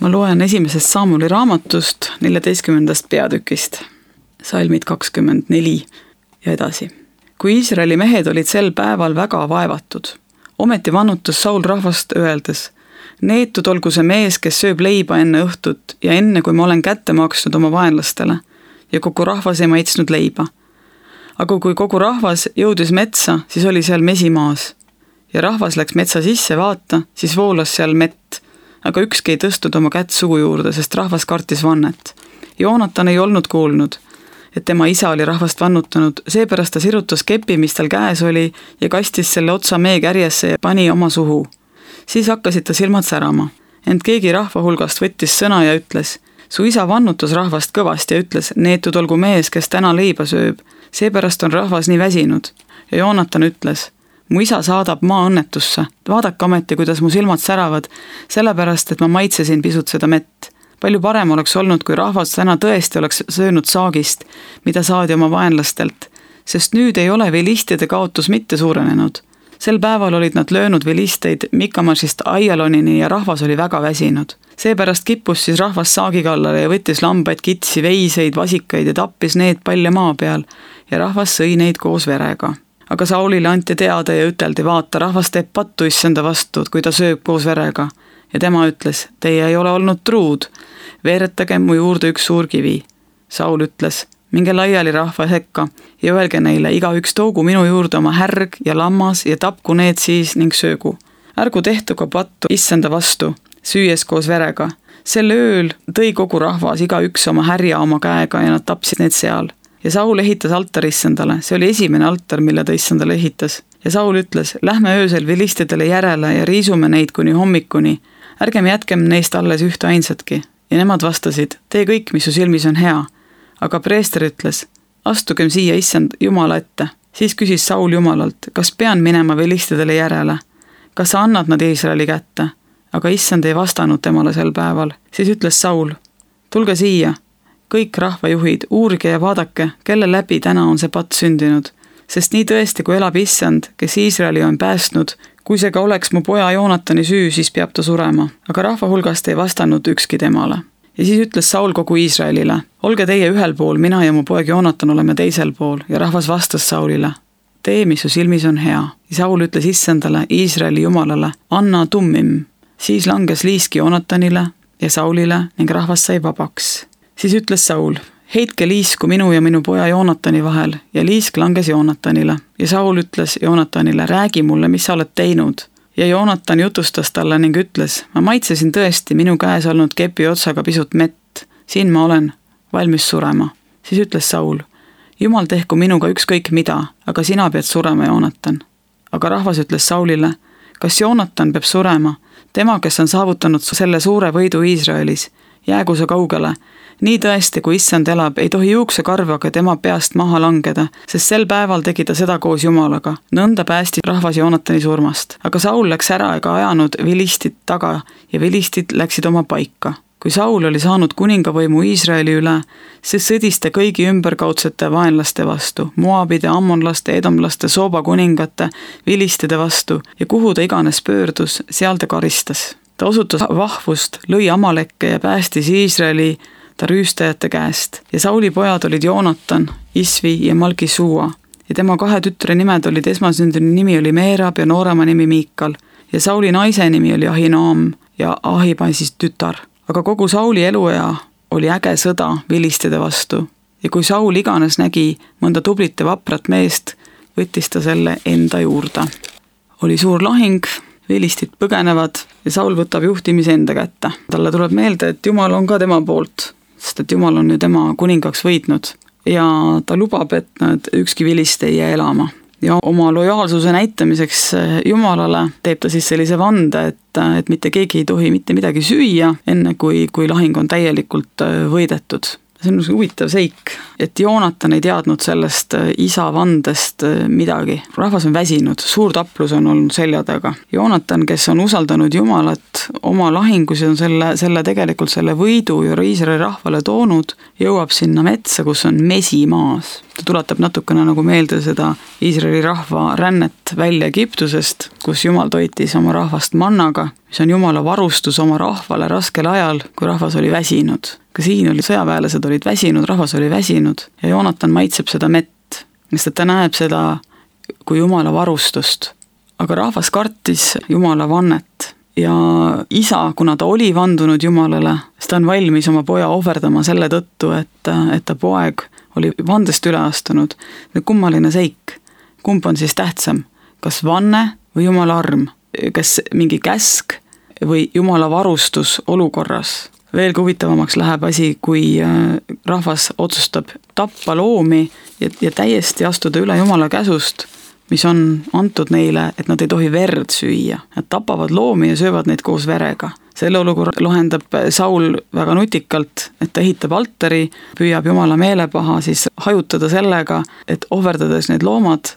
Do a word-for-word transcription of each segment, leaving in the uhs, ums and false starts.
ma loen esimesest Saamuli raamatust neljateistkümnendast peatükist, salmid kakskümmend neli ja edasi. Kui Iisraeli mehed olid sel päeval väga vaevatud, ometi vannutas Saul rahvast öeldes, neetud olgu see mees, kes sööb leiba enne õhtut ja enne, kui ma olen kätte maksnud oma vaenlastele ja kogu rahvas ei maitsnud leiba. Aga kui kogu rahvas jõudis metsa, siis oli seal mesimaas ja rahvas läks metsa sisse vaata, siis voolas seal mett, aga ükski ei tõstnud oma kätt suu juurde, sest rahvas kartis vannet. Joonatan ei olnud kuulnud, et tema isa oli rahvast vannutanud, seepärast ta sirutas kepi, mis tal käes oli ja kastis selle otsa mee kärjesse ja pani oma suhu. Siis hakkasid ta silmad särama, ent keegi rahva hulgast võttis sõna ja ütles, su isa vannutas rahvast kõvasti ja ütles, neetud olgu mees, kes täna leiba sööb, seepärast on rahvas nii väsinud. Ja Joonatan ütles, mu isa saadab maa õnnetusse, vaadake ameti, kuidas mu silmad säravad, sellepärast, et ma maitsesin pisut seda mett. Palju parem oleks olnud, kui rahvas täna tõesti oleks söönud saagist, mida saadi oma vaenlastelt, sest nüüd ei ole vilistide kaotus mitte suurenenud. Sel päeval olid nad löönud vilisteid Mikamašist Aialonini ja rahvas oli väga väsinud. Seepärast kippus siis rahvas saagi kallale ja võttis lambaid, kitsi, veiseid, vasikaid ja tappis need palja maa peal ja rahvas sõi neid koos verega. Aga Saulile anti teada ja üteldi, vaata, rahvas teeb pattu issanda vastu, kui ta sööb koos verega. Ja tema ütles, teie ei ole olnud truud, veeretage mu juurde üks suur kivi. Saul ütles, minge laiali rahva sekka ja öelge neile, iga üks toogu minu juurde oma härg ja lammas ja tapku need siis ning söögu. Ärgu tehtu ka pattu issanda vastu, süües koos verega. Sel ööl tõi kogu rahvas iga üks oma härja oma käega ja nad tapsid need seal. Ja Saul ehitas altar issandale, see oli esimene altar, mille ta issandale ehitas. Ja Saul ütles, lähme öösel vilistidele järele ja riisume neid kuni hommikuni. Ärgem jätkem neist alles ühte ainsatki. Ja nemad vastasid, tee kõik, mis su silmis on hea. Aga preester ütles, astugem siia issand Jumala ette. Siis küsis Saul Jumalalt, kas pean minema vilistidele järele? Kas sa annad nad Iisraeli kätte? Aga issand ei vastanud temale sel päeval. Siis ütles Saul, tulge siia. Kõik rahvajuhid, uurige ja vaadake, kelle läbi täna on see patt sündinud. Sest nii tõesti, kui elab issand, kes Iisraeli on päästnud, kui see ka oleks mu poja Joonatani süü, siis peab ta surema. Aga rahva hulgast ei vastanud ükski temale. Ja siis ütles Saul kogu Iisraelile, olge teie ühel pool, mina ja mu poeg Joonatan oleme teisel pool. Ja rahvas vastas Saulile, tee, mis su silmis on hea. Ja Saul ütles issandale, Iisraeli jumalale, anna tummim. Siis langes liisk Joonatanile ja Saulile ning rahvas sai vabaks. Siis ütles Saul, heitke liisku minu ja minu poja Joonatani vahel ja liisk langes Joonatanile. Ja Saul ütles Joonatanile, räägi mulle, mis sa oled teinud. Ja Joonatan jutustas talle ning ütles, ma maitsesin tõesti minu käes olnud kepi otsaga pisut mett. Siin ma olen valmis surema. Siis ütles Saul, Jumal tehku minuga ükskõik mida, aga sina pead surema, Joonatan. Aga rahvas ütles Saulile, kas Joonatan peab surema, tema, kes on saavutanud selle suure võidu Iisraelis, jäägu see kaugele. Nii tõesti, kui issand elab, ei tohi juuksekarvaga tema peast maha langeda, sest sel päeval tegi ta seda koos Jumalaga. Nõnda päästi rahvas Joonatani surmast. Aga Saul läks ära ega ajanud vilistid taga ja vilistid läksid oma paika. Kui Saul oli saanud kuningavõimu Iisraeli üle, siis sõdis ta kõigi ümberkaudsete vaenlaste vastu, Moabide, ammonlaste, edomlaste, Sooba kuningate, vilistide vastu ja kuhu ta iganes pöördus, seal ta karistas. Ta osutas vahvust, lõi Amalekke ja päästis Iisraeli ta rüüstajate käest. Ja Sauli pojad olid Joonatan, Isvi ja Malkisuua. Ja tema kahe tütre nimed olid, esmasündini nimi oli Meerab ja noorema nimi Miikal. Ja Sauli naise nimi oli Ahinoam ja Ahibaisist tütar. Aga kogu Sauli eluea oli äge sõda vilistide vastu. Ja kui Saul iganes nägi mõnda tublit ja vaprat meest, võttis ta selle enda juurde. Oli suur lahing, vilistid põgenevad ja Saul võtab juhtimise enda kätte. Talle tuleb meelde, et Jumal on ka tema poolt, sest et Jumal on ju tema kuningaks võitnud ja ta lubab, et nad ükski vilist ei jää elama. Ja oma lojaalsuse näitamiseks Jumalale teeb ta siis sellise vande, et, et mitte keegi ei tohi mitte midagi süüa, enne kui, kui lahing on täielikult võidetud. see on huvitav seik, et Joonatan ei teadnud sellest isa vandest midagi. Rahvas on väsinud, suur taplus on olnud selja taga. Joonatan, kes on usaldanud Jumalat oma lahingus ja on selle, selle tegelikult selle võidu ju Iisraeli rahvale toonud, jõuab sinna metsa, kus on mesi maas. Ta tuletab natukene nagu meelde seda Iisraeli rahva rännet välja Egiptusest, kus Jumal toitis oma rahvast mannaga, mis on Jumala varustus oma rahvale raskel ajal, kui rahvas oli väsinud. Ka siin oli sõjaväelased olid väsinud, rahvas oli väsinud ja Joonatan maitseb seda mett, sest et ta näeb seda kui Jumala varustust. Aga rahvas kartis Jumala vannet ja isa, kuna ta oli vandunud Jumalale, siis ta on valmis oma poja ohverdama selle tõttu, et, et ta poeg oli vandest üle astunud. Kummaline seik. Kumb on siis tähtsam? Kas vanne või Jumala arm? Kas mingi käsk või Jumala varustus olukorras? Veelgi huvitavamaks läheb asi, kui rahvas otsustab tappa loomi ja, ja täiesti astuda üle Jumala käsust, mis on antud neile, et nad ei tohi verd süüa. Nad tapavad loomi ja söövad neid koos verega. Selle olukorra lahendab Saul väga nutikalt, et ta ehitab altari, püüab Jumala meelepaha siis hajutada sellega, et ohverdades need loomad,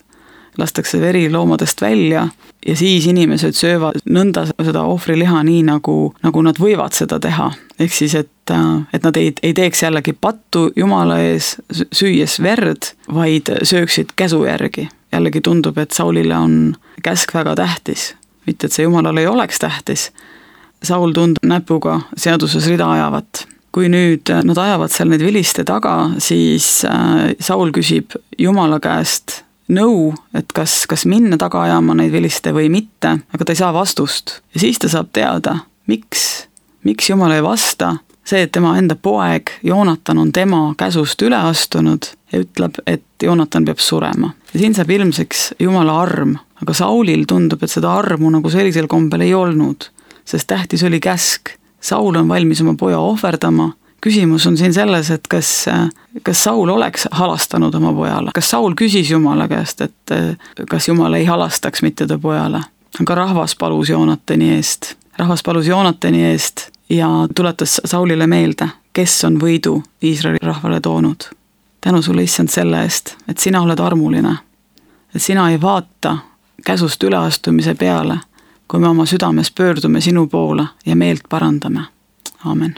lastakse veri loomadest välja ja siis inimesed söövad nõnda seda ohvriliha nii, nagu, nagu nad võivad seda teha. Ehk siis, et, et nad ei, ei teeks jällegi pattu Jumala ees süües verd, vaid sööksid käsu järgi. Jällegi tundub, et Saulile on käsk väga tähtis, mitte et see Jumalale ei oleks tähtis. Saul tundub näpuga seaduses rida ajavat. Kui nüüd nad ajavad seal need viliste taga, siis Saul küsib Jumala käest nõu, et kas, kas minna taga ajama neid viliste või mitte, aga ta ei saa vastust. Ja siis ta saab teada, miks, miks Jumal ei vasta, see, et tema enda poeg Joonatan on tema käsust üle astunud ja ütleb, et Joonatan peab surema. Ja siin saab ilmseks Jumala arm, aga Saulil tundub, et seda armu nagu sellisel kombel ei olnud, sest tähtis oli käsk. Saul on valmis oma poja ohverdama. Küsimus on siin selles, et kas, kas Saul oleks halastanud oma pojale. Kas Saul küsis Jumala käest, et kas Jumal ei halastaks mitte ta pojale. Aga rahvas palus Joonatani eest. Rahvas palus Joonatani eest ja tuletas Saulile meelde, kes on võidu Iisraeli rahvale toonud. Tänu sulle, Issand, selle eest, et sina oled armuline. Et sina ei vaata käsust üleastumise peale, kui me oma südames pöördume sinu poole ja meelt parandame. Aamen.